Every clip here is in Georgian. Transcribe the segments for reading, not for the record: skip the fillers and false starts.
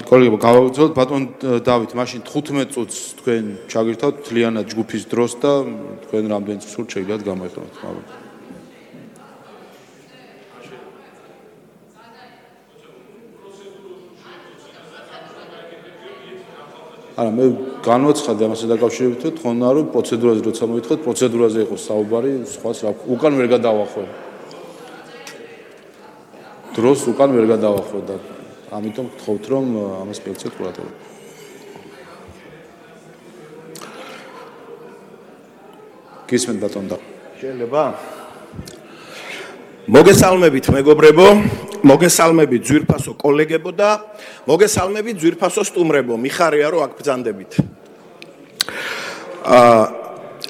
კოლეგებო, გავაგრძელოთ ბატონ დავით, მაშინ 15 წუთს თქვენ ჩაგირთავთ მთლიანად ჯგუფის დროს და თქვენ რამდენი წუთს შეგიძლიათ გამოიხსნათ. არა, მე განვაცხადე ამასთან დაკავშირებით, თქონა რომ პროცედურაზე როცა მოითხოვთ, პროცედურაზე იყოს საუბარი, სხვას რა უკან ვერ გადავახვევ. დროს უკან ვერ გადავახვევ და ამიტომ გთხოვთ რომ ამას მიეცეთ ყურადღება. გისმენთ ბატონ და შეიძლება? მოგესალმებით მეგობრებო, მოგესალმებით ძვირფასო კოლეგებო და მოგესალმებით ძვირფასო სტუმრებო, მიხარია რომ აქ ბრძანდებით.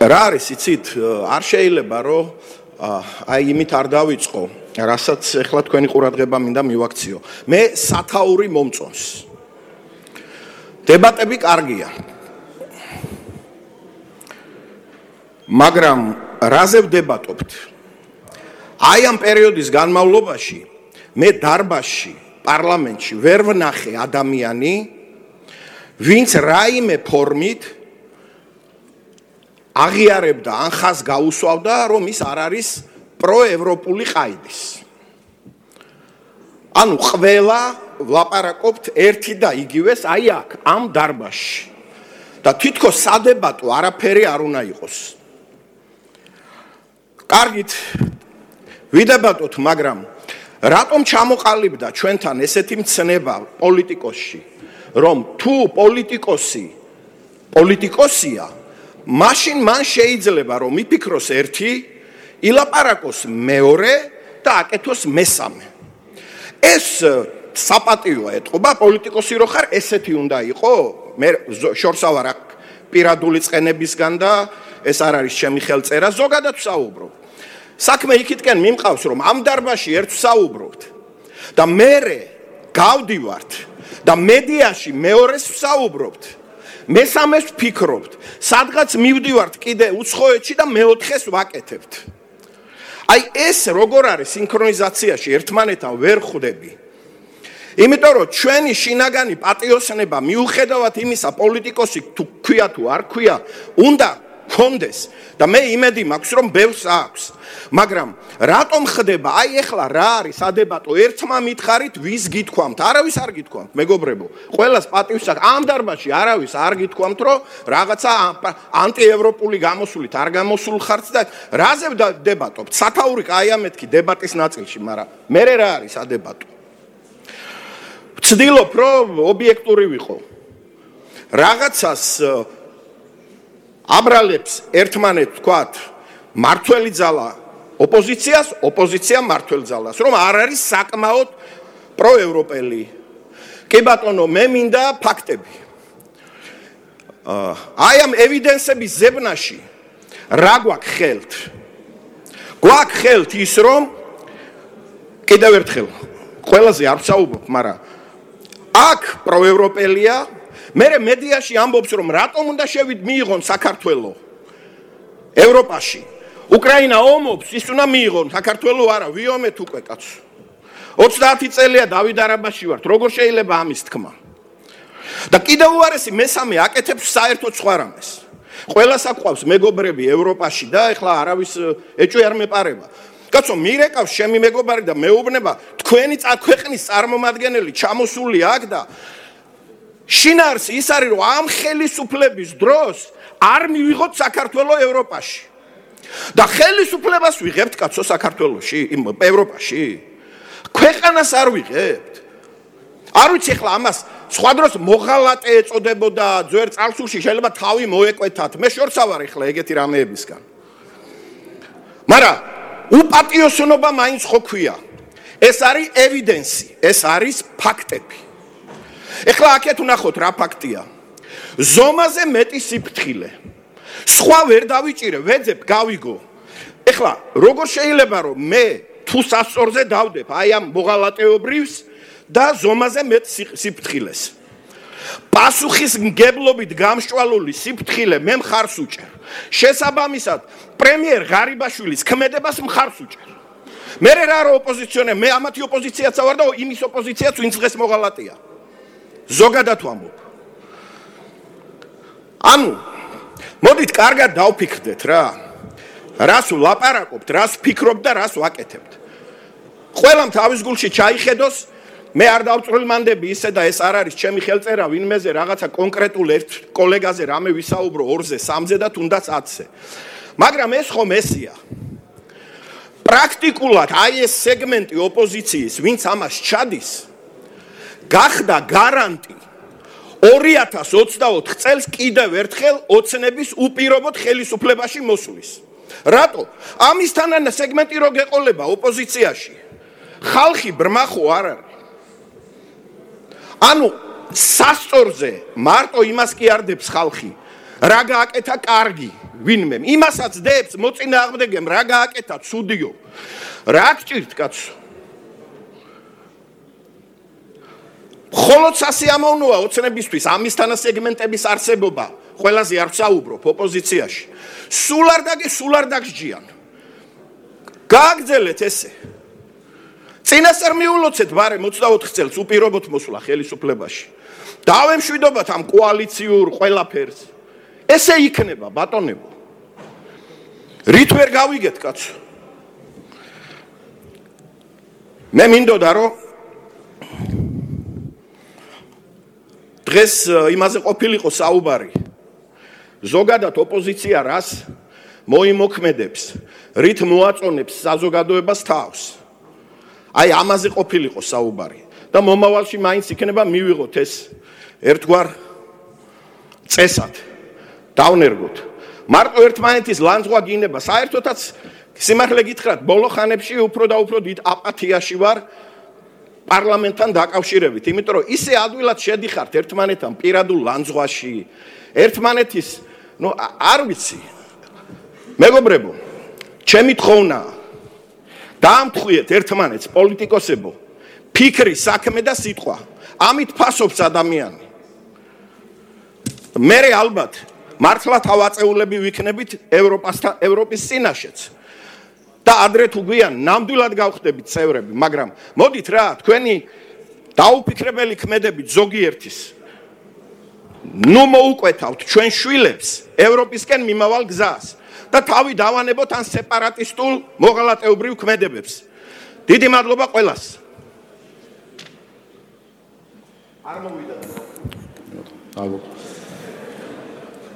რა არის იცით, არ შეიძლება რომ აი იმით არ დავიწყო, რასაც ეხლა თქვენი ყურადღება მინდა მივაქციო. მე სათაური მომწონს. დებატები კარგია. მაგრამ რაზე ვდებატობთ? აი ამ პერიოდის განმავლობაში მე დარბაზში, პარლამენტში ვერ ვნახე ადამიანი, ვინც რაიმე ფორმით აღიარებდა ან ხაზს გაუსვავდა, რომ ის არ არის პროევროპული ყაიდის. ანუ ყველა ვლაპარაკობთ ერთი და იგივეს აი აქ, ამ დარბაზში. და თითქოს სადებატო არაფერი არ უნდა იყოს. კარგით, ვიდებატოთ, მაგრამ რატომ ჩამოყალიბდა ჩვენთან ესეთი მცნება პოლიტიკოსში, რომ თუ პოლიტიკოსია, მაშინ მან შეიძლება რომ იფიქროს ერთი, ილაპარაკოს მეორე და აკეთოს მესამე. ეს საპატიოა ეთყობა, პოლიტიკოსი რო ხარ, ესეთი უნდა იყო, მე შორსა ვარ აქ პირადული წყენებისგან და ეს არ არის ჩემი ხელწერა, ზოგადად ვსაუბრობ. საქმე იქითკენ მიმყავს, რომ ამ დარბაზში ერთ ვსაუბრობთ და მერე გავდივართ და მედიაში მეორეს ვსაუბრობთ, მესამეს ვფიქრობთ, სადღაც მივდივართ კიდე უცხოეთში და მეოთხეს ვაკეთებთ. აი ეს როგორ არის სინქრონიზაციაში ერთმანეთთან ვერ ხვდები. იმიტომ რომ ჩვენი შინაგანი პატიოსნება მიუხედავად იმისა, პოლიტიკოსი თუ ქვია თუ არ ქვია, უნდა კონდეს და მე იმედი მაქვს რომ ბევრს აქვს. მაგრამ რატომ ხდება აი ეხლა რა არის სადებატო ერთმა მითხარით ვის გითქვამთ? არავის არ გითქვამთ, მეგობრებო. ყველას პატივს აქვს. ამ დარბაზში არავის არ გითქვამთ, რომ რაღაცა ანტიევროპული გამოსულით არ გამოსულ ხართ და რაზე დებატობთ? სათაური კაია მეთქი დებატის ნაწილში, მაგრამ მე რა არის სადებატო? ვცდილობ რომ ობიექტური ვიყო. რაღაცას აბრალებს ერთმანეთს თქვათ მართველი ძალა ოპოზიციას, ოპოზიცია მართველ ძალას, რომ არ არის საკმაოდ პროევროპელი. კი ბატონო, მე მინდა ფაქტები. აი ამ ევიდენსების ზებნაში რა გვაქვს ხელთ? გვაქვს ხელთ ის, რომ კიდევ ერთხელ ყველაზე არ ვსაუბრობ, მაგრამ აქ პროევროპელია. მე მედიაში ამბობს, რომ რატომ უნდა მიიღონ საქართველო ევროპაში. უკრაინა ომობს, ის უნდა მიიღონ, საქართველო არა, ვიომეთ უკვე კაცო. 30 წელია დავით არაბაში ვართ, როგორ შეიძლება ამის თქმა? და კიდევ უარესი მესამე აკეთებს საერთოდ სხვა რამეს. ყველას აყვავს მეგობრები ევროპაში და ეხლა არავის ეჭვი არ მეპარება. კაცო, მირეკავს ჩემი მეგობარი და მეუბნება, თქვენი ქვეყნის წარმომადგენელი ჩამოსული აქ და შინაარსი ის არის, რომ ამ ხელისუფლების დროს არ მივიღოთ საქართველო ევროპაში. და ხელისუფლებას ვიღებთ კაცო საქართველოში, ევროპაში. ქვეყანას არ ვიღებთ. არ ვიცი ახლა ამას სხვა დროს მოღალატე ეწოდებოდა, ძვერ წარსულში შეიძლება თავი მოეკვეთათ. მე შორსა ვარ ახლა ეგეთი რამეებისგან. მაგრამ უპატიოსნობა მაინც ხო ქვია. ეს არის ევიდენსი, ეს არის ფაქტები. ეხლა აქეთ ვნახოთ რა ფაქტია. ზომაზე მეტი სიფრთხილე. სხვა ვერ დავიჭირე, ვეძებ, გავიგო. ეხლა როგორ შეიძლება რომ მე თუ სასწორზე დავდებ აი ამ მოღალატეობრივს და ზომაზე მეტ სიფრთხილეს. პასუხისმგებლობით გამსჭვალული სიფრთხილე მე მხარს უჭერ. შესაბამისად, პრემიერ ღარიბაშვილის ქმედებას მხარს უჭერ. მე რა ოპოზიციონერი, მე ამათი ოპოზიციაცა ვარ და იმის ოპოზიციაც ვინც დღეს მოღალატეა. ზოგადად ვამბობ. ანუ მოდით კარგად დავფიქრდეთ რა. რას ვლაპარაკობთ, რას ვფიქრობთ და რას ვაკეთებთ. ყველამ თავის გულში ჩაიხედოს, მე არ დავწვრილმანდები ისე და ეს არ არის ჩემი ხელწერა ვინმეზე რაღაცა კონკრეტულ ერთ კოლეგაზე რამე ვისაუბრო 2-ზე, 3-ზე და თუნდაც 10-ზე. მაგრამ ეს ხომ ესია. პრაქტიკულად აი ეს სეგმენტი ოპოზიციის, ვინც ამას ჩადის, გახდა გარანტი 2024 წელს კიდევ ერთხელ ოცნების უპირობოდ ხელისუფლებაში მოსulis. რატო? ამისთანანა სეგმენტი რო გეყოლება ოპოზიციაში. ხალხი ბრმა ხო არ არის. ანუ სასწორზე მარტო იმას კი არ დებს ხალხი, რა გააკეთა კარგი ვინმემ. იმასაც დებს მოწინააღმდეგემ რა გააკეთა ცუდიო. რა გჭირთ კაცო? მხოლოდ სასიამოვნოა ოცნებისთვის ამისთანა სეგმენტების არსებობა. ყველაზე არ ვსაუბრობ ოპოზიციაში. სულ არ დაგსჯიან. გააგრძელეთ ესე. წინასწარ მიულოცეთ ბარემ 24 წელს უპირობოდ მოსვლა ხელისუფლებაში. დავემშვიდობათ ამ კოალიციურ ყველაფერს. ესე იქნება ბატონებო. რით ვერ გავიგეთ კაცო? მე მინდოდა რომ დღეს იმაზე ყოფილიყო საუბარი. ზოგადად ოპოზიცია რას მოიმოქმედებს, რით მოაწონებს საზოგადოებას თავს. აი ამაზე ყოფილიყო საუბარი და მომავალში მაინც იქნება მივიღოთ ეს ერთგვარ წესად. დავნერგოთ. მარტო ერთმანეთის ლანძღვა გინება, საერთოდაც სიმართლე გითხრათ, ბოლო ხანებში უფრო და უფრო დიდ აპათიაში ვარ პარლამენტთან დაკავშირებით, იმიტომ რომ ისე ადვილად შედიხართ ერთმანეთთან პირადულ ლანძღვაში, ერთმანეთის, არ ვიცი. მეგობრებო, ჩემი თხოვნაა, დაამთხვიეთ ერთმანეთს პოლიტიკოსებო, ფიქრი, საქმე და სიტყვა. ამით ფასობს ადამიანი. მე ალბათ მართლა თავაწეულები ვიქნებით ევროპის წინაშეც. და ადრე თუ გვიან ნამდვილად გავხდებით წევრები, მაგრამ მოდით რა, თქვენი დაუფიქრებელი ქმედებით ზოგიერთის მოუკვეთავთ ჩვენ შვილებს ევროპისკენ მიმავალ გზას და თავი დავანებოთ ან სეპარატისტულ მოღალატეობრივ ქმედებებს. დიდი მადლობა ყველას. არ მოვიდა.